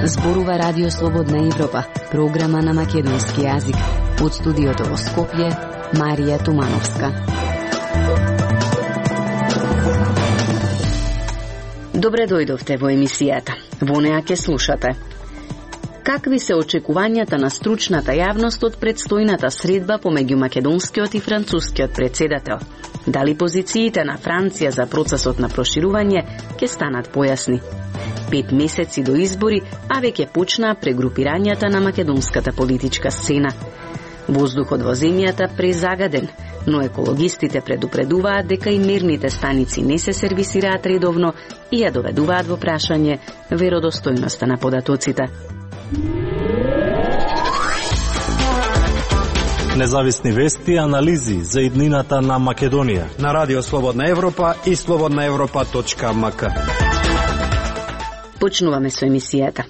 Зборува Радио Слободна Европа, програма на македонски јазик. Од студиото во Скопје, Марија Тумановска. Добре дојдовте во емисијата. Во неа ќе слушате. Какви се очекувањата на стручната јавност од предстојната средба помеѓу македонскиот и францускиот председател? Дали позициите на Франција за процесот на проширување ќе станат појасни? 5 месеци до избори, а веќе почнаа прегрупирањата на македонската политичка сцена. Воздухот во земјата презагаден, но екологистите предупредуваат дека и мерните станици не се сервисираат редовно и ја доведуваат во прашање веродостојноста на податоците. Независни вести и анализи за иднината на Македонија на Радио Слободна Европа и slobodnaevropa.mk. Почнуваме со емисијата.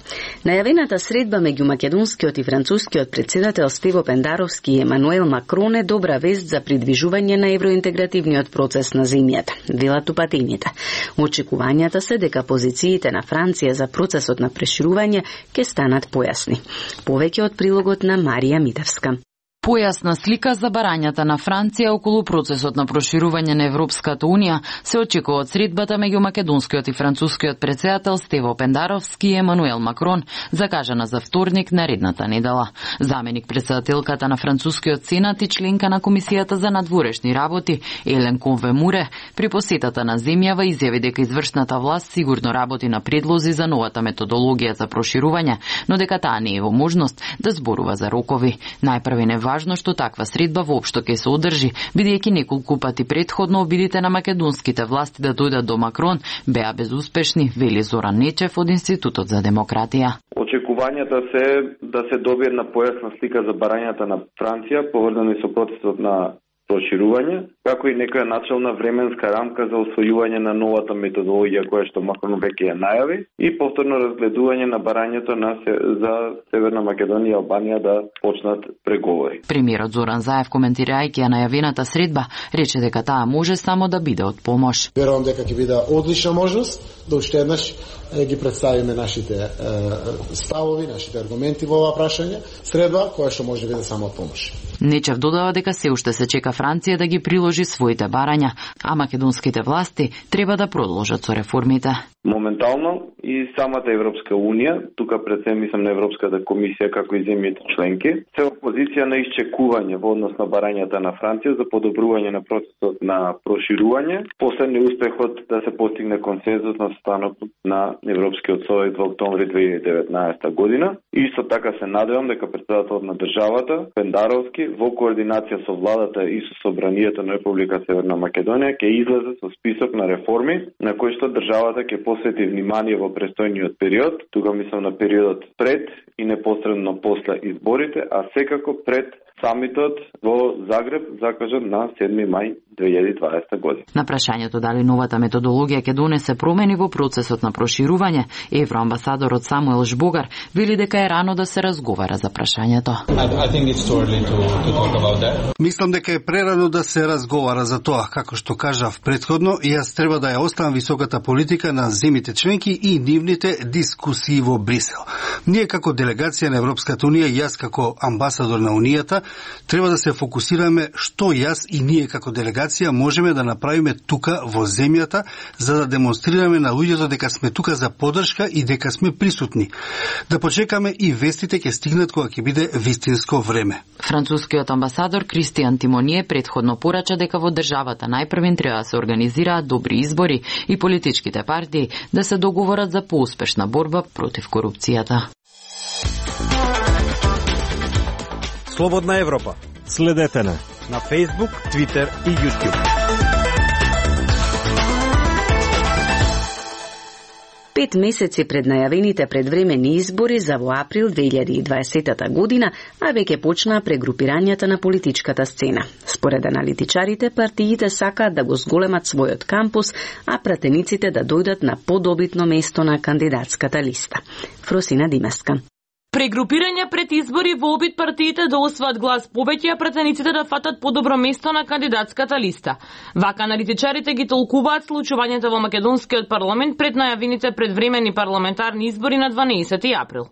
Најавената средба меѓу македонскиот и францускиот председател Стево Пендаровски и Емануел Макрон е добра вест за придвижување на евроинтегративниот процес на земјата, велат упатените. Очекувањата се дека позициите на Франција за процесот на проширување ќе станат појасни. Повеќе од прилогот на Марија Митевска. Појасна слика за барањата на Франција околу процесот на проширување на Европската Унија се очекува од средбата меѓу македонскиот и францускиот председател Стево Пендаровски и Емануел Макрон, закажана за вторник наредната недела. Заменик председателката на францускиот сенат и членка на Комисијата за надворешни работи Елен Конве-Муре при посетата на земјава изјави дека извршната власт сигурно работи на предлози за новата методологија за проширување, но дека таа не е во можност да зборува за рокови. Најпрвен е важно што таква средба воопшто ќе се одржи, бидејќи неколку пати предходно обидите на македонските власти да дојдат до Макрон беа безуспешни, вели Зоран Нечев од Институтот за демократија. Очекувањата се да се добие на појасна слика за барањата на Франција, поврзани со процесот на проширување, како и некоја начална временска рамка за освојување на новата методологија која што Макрон веќе ја најави и повторно разгледување на барањето за Северна Македонија и Албанија да почнат преговори. Премиерот Зоран Заев, коментирајќи ја најавената средба, рече дека таа може само да биде од помош. Верувам дека ќе биде одлична можност да уште еднаш ги представиме нашите ставови, нашите аргументи во ова прашање, средба која што може да биде само од помош. Нечев додава дека се уште се чека Франција да ги приложи своите барања, а македонските власти треба да продолжат со реформите. Моментално и самата Европска Унија, тука пред се мислам на Европската комисија како и земјите членки, се во позиција на исчекување во однос на барањата на Франција за подобрување на процесот на проширување, после неуспехот да се постигне консензус на состанокот на Европскиот совет во октомври 2019 година. Исто така се надевам дека председателот на државата Пендаровски во координација со владата и со собранието на Република Северна Македонија ќе излезе со список на реформи на кои што државата ќе посвети внимание во престојниот период, тука мислам на периодот пред и непосредно после изборите, а секако пред самитот во Загреб закажан на 7 мај 2020 година. На прашањето дали новата методологија ќе донесе промени во процесот на проширување, евроамбасадорот Самуел Жбогар вели дека е рано да се разговара за прашањето. Мислам дека е прерано да се разговара за тоа, како што кажав претходно, јас треба да ја оставам високата политика на земјите членки и нивните дискусии во Брисел. Ние како делегација на Европската Унија, јас како амбасадор на Унијата, треба да се фокусираме што јас и ние како делегација можеме да направиме тука во земјата за да демонстрираме на луѓето дека сме тука за поддршка и дека сме присутни. Да почекаме и вестите ќе стигнат кога ќе биде вистинско време. Францускиот амбасадор Кристијан Тимоние претходно порача дека во државата најпрвен треба да се организираат добри избори и политичките партии да се договорат за поуспешна борба против корупцијата. Слободна Европа. Следете на Facebook, Twitter и YouTube. 5 месеци пред најавените предвремени избори за во април 2020 година, а веќе почнаа прегрупирањата на политичката сцена. Според аналитичарите, партиите сакаат да го зголемат својот кампус, а пратениците да дојдат на подобитно место на кандидатската листа. Фросина Димеска. Прегрупирање пред избори во обид партиите да освоат глас повеќе, а претениците да фатат подобро место на кандидатската листа. Вака аналитичарите ги толкуваат случувањето во македонскиот парламент пред најавените предвремени парламентарни избори на 12 април.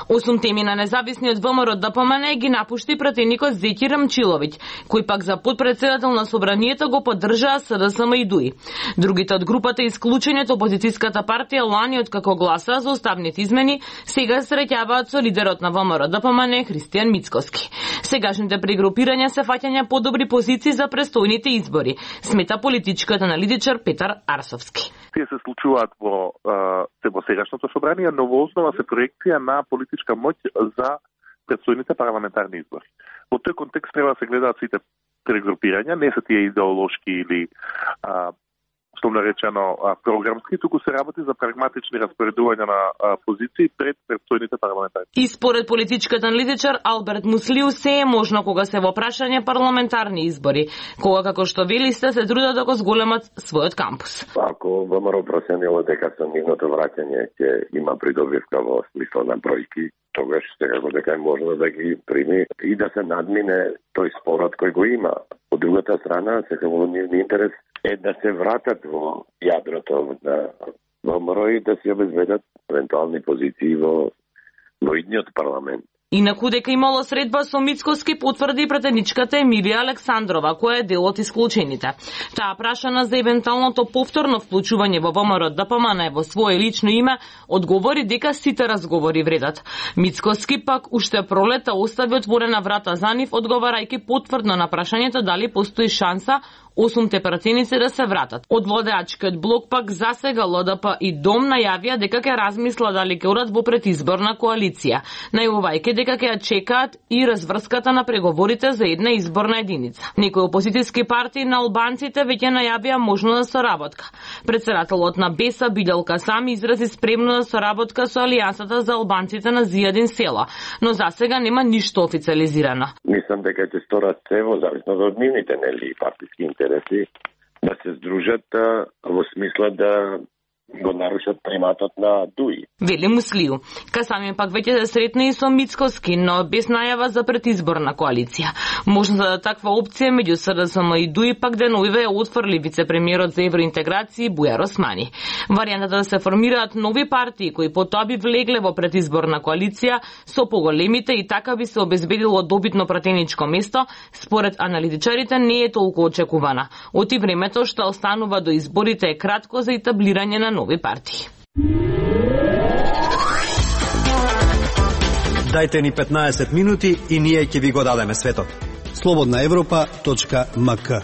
Осум теми на независниот ВМРО ДПМН ги напушти пратеникот Зеки Рамчиловиќ, кој пак за потпредседател на собранието го поддржаа СДСМ и ДУИ. Другите од групата исклучени од опозицијската партија лани од како гласа за уставните измени, сега се среќаваат со лидерот на ВМРО ДПМН Христијан Мицкоски. Сегашните прегрупирања се фаќања подобри позиции за престојните избори, смета политичкиот аналитичар Петар Арсовски. Тие се случуваат во сегашното собрание, но во основа се проекција на политичка моќ за предстојните парламентарни избори. Во тој контекст треба да се гледаат сите прегрупирања, не се тие идеолошки или условно речено програмски, туку се работи за прагматични распоредувања на позиции пред предстојните парламентарни. И според политичкиот аналитичар Алберт Муслиу се е можно кога се во прашање парламентарни избори, кога како што вели се трудат да го зголемат својот кампус. Ако ВМРО проценило дека со нивното враќање ќе има придобивка во смисла на бројки, тогаш секако дека е можно да ги прими и да се надмине тој спорот кој го има. Од другата страна, секако нивни интерес е да се вратат во јадрото на ВМРО и да се обезбедат евентуални позиции во идниот парламент. Инаку дека имало средба со Мицкоски потврди претеничката Емилија Александрова, која е дел од исклучените. Таа прашана за евентуалното повторно вклучување во ВМРО ДПМН во свое лично име, одговори дека сите разговори вредат. Мицкоски пак уште пролета остави отворена врата за нив, одговарајќи потврдно на прашањето дали постои шанса осумте пратеници да се вратат. Од владеачкиот блок пак засега ЛДП и ДОМ најавија дека ќе размисла дали ќе одат во предизборна коалиција, најавувајќи дека ќе ја чекаат и разврската на преговорите за една изборна единица. Некои опозицијски партии на албанците веќе најавија можност за соработка. Председателот на БЕСА Билјал Касами изрази спремно за соработка со Алијансата за албанците на Зијадин села, но засега нема ништо официализирано. Мислам дека ќе сторат се во зависност од нивните партиски интереси да се здружат во смисла да го нарушат приматот на ДУИ. Вели Муслиу. Касами пак веќе се сретна и со Мицкоски, но без најава за предизборна коалиција. Можна да таква опција меѓу СДСМ и ДУИ пак деновиве ја отфрли вице-премиерот за евроинтеграција Бујар Османи. Варијантата да се формираат нови партии кои потоа би влегле во предизборна коалиција со поголемите и така би се обезбедило добитно пратеничко место, според аналитичарите не е толку очекувана. Оти времето што останува до изборите е кратко за етаблирање на нови партии. Дајте ни 15 минути и ние ќе ви го дадеме светот. slobodnaevropa.mk.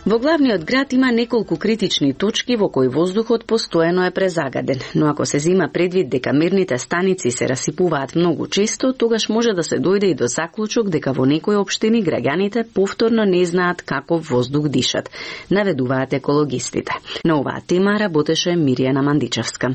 Во главниот град има неколку критични точки во кои воздухот постојано е презагаден, но ако се зима предвид дека мерните станици се расипуваат многу често, тогаш може да се дојде и до заклучок дека во некои општини граѓаните повторно не знаат каков воздух дишат, наведуваат екологистите. На оваа тема работеше Миријана Мандичевска.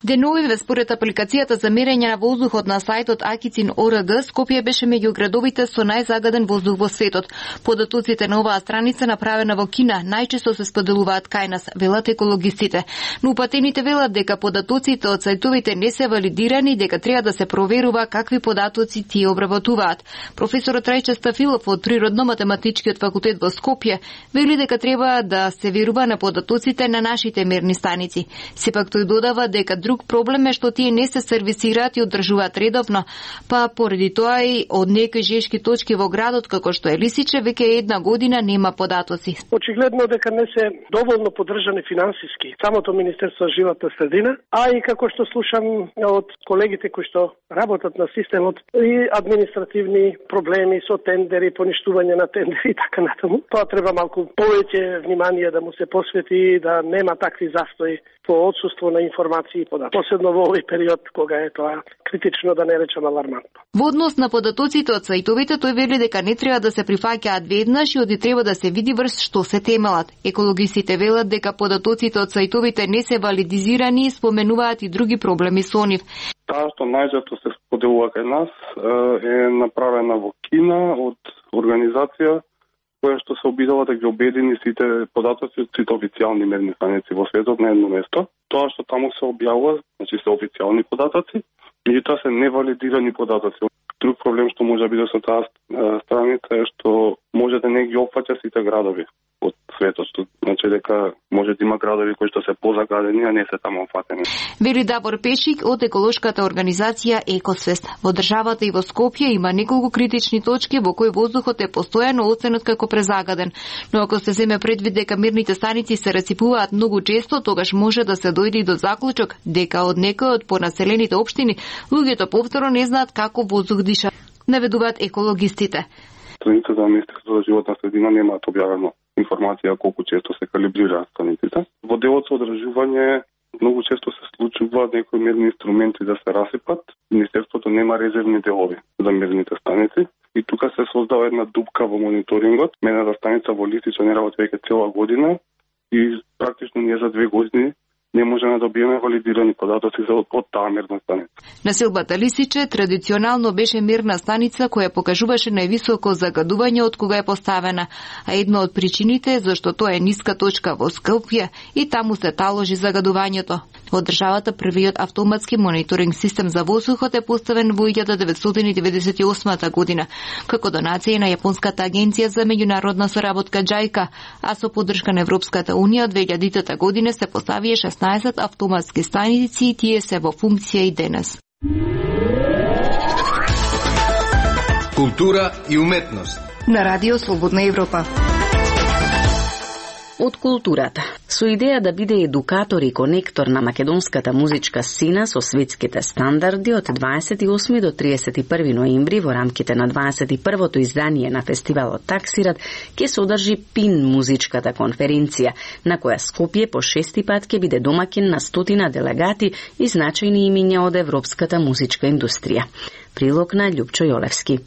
Деновиве според апликацијата за мерење на воздухот на сајтот Акицин.орг, Скопје беше меѓу градовите со најзагаден воздух во светот. Податоците на оваа страница направена во Кина најчесто се споделуваат кај нас, велат екологистите. Но упатените велат дека податоците од сајтовите не се валидирани и дека треба да се проверува какви податоци тие обработуваат. Професорот Рајче Стафилов од Природно-математичкиот факултет во Скопје вели дека треба да се верува на податоците на нашите мерни станици. Сепак тој додава дека друг проблем е што тие не се сервисираат и одржуваат редовно, па поради тоа и од некои жешки точки во градот, како што е Лисиче, веќе една година нема податоци. Очигледно дека не се доволно поддржани финансиски самото Министерство за животна средина, а и како што слушам од колегите кои што работат на системот, и административни проблеми со тендери, поништување на тендери и така натаму. Тоа треба малку повеќе внимание да му се посвети, да нема такви застои по отсуство на информации и посебно во овој период кога е тоа критично, да не речам алармантно. Во однос на податоците од сајтовите, тој вели дека не треба да се прифаќаат веднаш и оди треба да се види врз што се темелат. Екологистите велат дека податоците од сајтовите не се валидизирани и споменуваат и други проблеми со нив. Таа што најчесто се споделува кај нас е направена во Кина од организација која што се обидела да ги обедини сите податоци од сите официјални мерни станици во светот на едно место. Тоа што таму се објавува, значи се официјални податоци, Меѓутоа се невалидирани податоци. Друг проблем што може да биде со таа страница е што може да не ги опфаќа сите градови од светот, што значи дека може да има градови кои што се позагадени, а не се таму опфатени. Вели Давор Пешик од еколошката организација Екосвест. Во државата и во Скопје има неколку критични точки во кои воздухот е постојано оценет како презагаден. Но ако се земе предвид дека мерните станици се реципуваат многу често, тогаш може да се дојде и до заклучок дека од некој од понаселените општини луѓето повторно не знаат како воздух диша, наведуваат екологистите. Страницата на Министерството за животна средина немаат објавено информација колку често се калибрираат станиците. Во делот со одржување многу често се случува некои мерни инструменти да се расипат. Министерството нема резервни делови за мерните станици и тука се создава една дупка во мониторингот. Мерната станица во Листича не работи веќе цела година и практично ние за 2 години не можеме да добиеме валидирани податоци за од таа мерна станица. Населбата Лисиче традиционално беше мерна станица која покажуваше највисоко загадување од кога е поставена, а една од причините е зашто тоа е ниска точка во Скопје и таму се таложи загадувањето. Во државата првиот автоматски мониторинг систем за воздухот е поставен во 1998 година, како донација на Јапонската агенција за меѓународна соработка JICA, а со поддршка на Европската унија од 2000 година се поставија 16 автоматски станици и тие се во функција и денес. Култура и уметност На Радио Слободна Европа. Од културата. Со идеја да биде едукатор и конектор на македонската музичка сцена со светските стандарди, од 28 до 31 ноември во рамките на 21-то издание на фестивалот Таксират ќе се одржи ПИН музичката конференција, на која Скопје по 6-ти пат ќе биде домакин на 100 делегати и значајни имиња од европската музичка индустрија. Прилог на Љупчо Јолевски.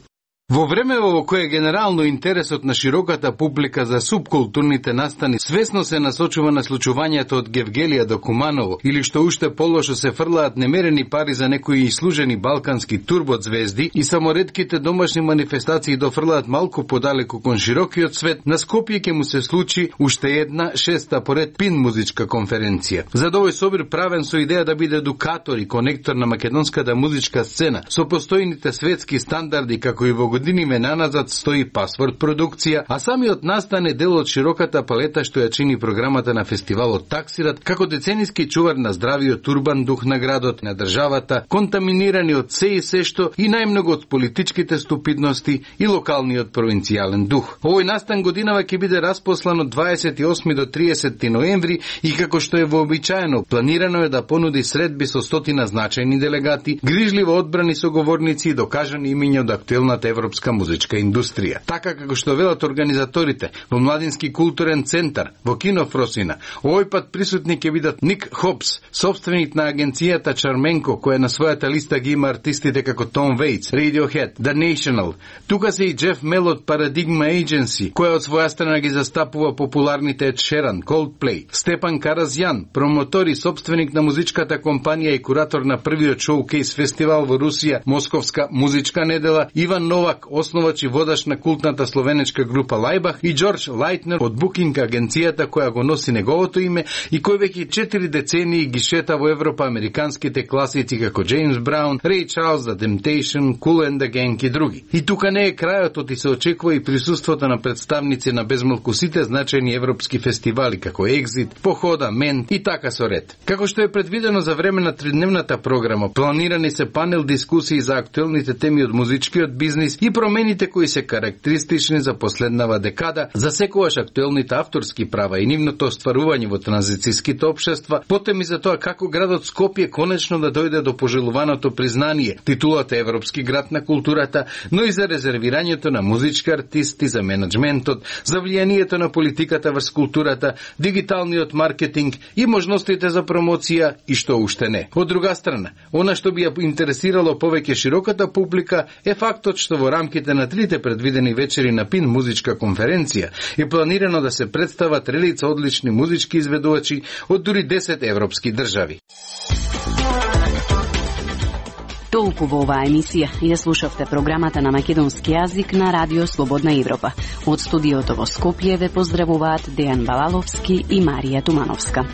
Во време во кое генерално интересот на широката публика за субкултурните настани свесно се насочува на случувањето од Гевгелија до Куманово или што уште полошо се фрлаат немерени пари за некои ислужени балкански турбозвезди и само ретките домашни манифестации дофрлаат малку подалеку кон широкиот свет, на Скопје ќе му се случи уште една 6-та поред ПИН музичка конференција. За овој собир правен со идеја да биде едукатор и конектор на македонската музичка сцена со постојните светски стандарди, како и во години наназад стои Пасворд продукција, а самиот настан е дел од широката палета што ја чини програмата на фестивалот Таксират, како децениски чувар на здравиот урбан дух на градот, на државата, контаминирани од се и се што и најмногу од политичките ступидности и локалниот провинцијален дух. Овој настан годинава ќе биде распослан од 28 до 30 ноември и како што е вообичаено, планирано е да понуди средби со 100 значајни делегати, грижливо одбрани соговорници и докажани имиња од актуелната европска музичка индустрија. Така како што велат организаторите во Младински културен центар во Кино Фросина, овој пат присутни ќе бидат Ник Хопс, собственик на агенцијата Чарменко, која на својата листа ги има артистите како Том Вейтс, Radiohead, The National. Тука се и Джеф Мел од Paradigma Agency, која од своја страна ги застапува популарните Ed Sheeran, Coldplay, Степан Каразјан, промотор и собственик на музичката компанија и куратор на првиот шоукейс фестивал во Русија, Московска музичка недела, Иван Новак, основач и водаш на култната словенечка група Лајбах, и Џорџ Лајтнер од Booking агенцијата која го носи неговото име и кој веќе 4 децении ги шета во Европа американските класици како Джеймс Браун, Рей Чарлс, The Temptation, Kool and the Gang и други. И тука не е крајот, и се очекува и присуството на представници на безмалку сите значајни европски фестивали како Exit, Похода, Мент и така со ред. Како што е предвидено за време на тридневната програма, планирани се панел дискусии за актуелните теми од музичкиот бизнис и промените кои се карактеристични за последнава декада, за секогаш актуелните авторски права и нивното остварување во транзицијските општества, потем и за тоа како градот Скопје конечно да дојде до пожелуваното признание, титулата Европски град на културата, но и за резервирањето на музички артисти, за менеджментот, за влијанието на политиката врз културата, дигиталниот маркетинг и можностите за промоција и што уште не. Од друга страна, она што би ја интересирало повеќе широката публика е фактот што во рамките на 3 предвидени вечери на ПИН музичка конференција е планирано да се представат релица одлични музички изведувачи од дури 10 европски држави. Толку во оваа емисија. Ја слушавте програмата на македонски јазик на Радио Слободна Европа. Од студиото во Скопје ве поздравуваат Дејан Балаловски и Марија Тумановска.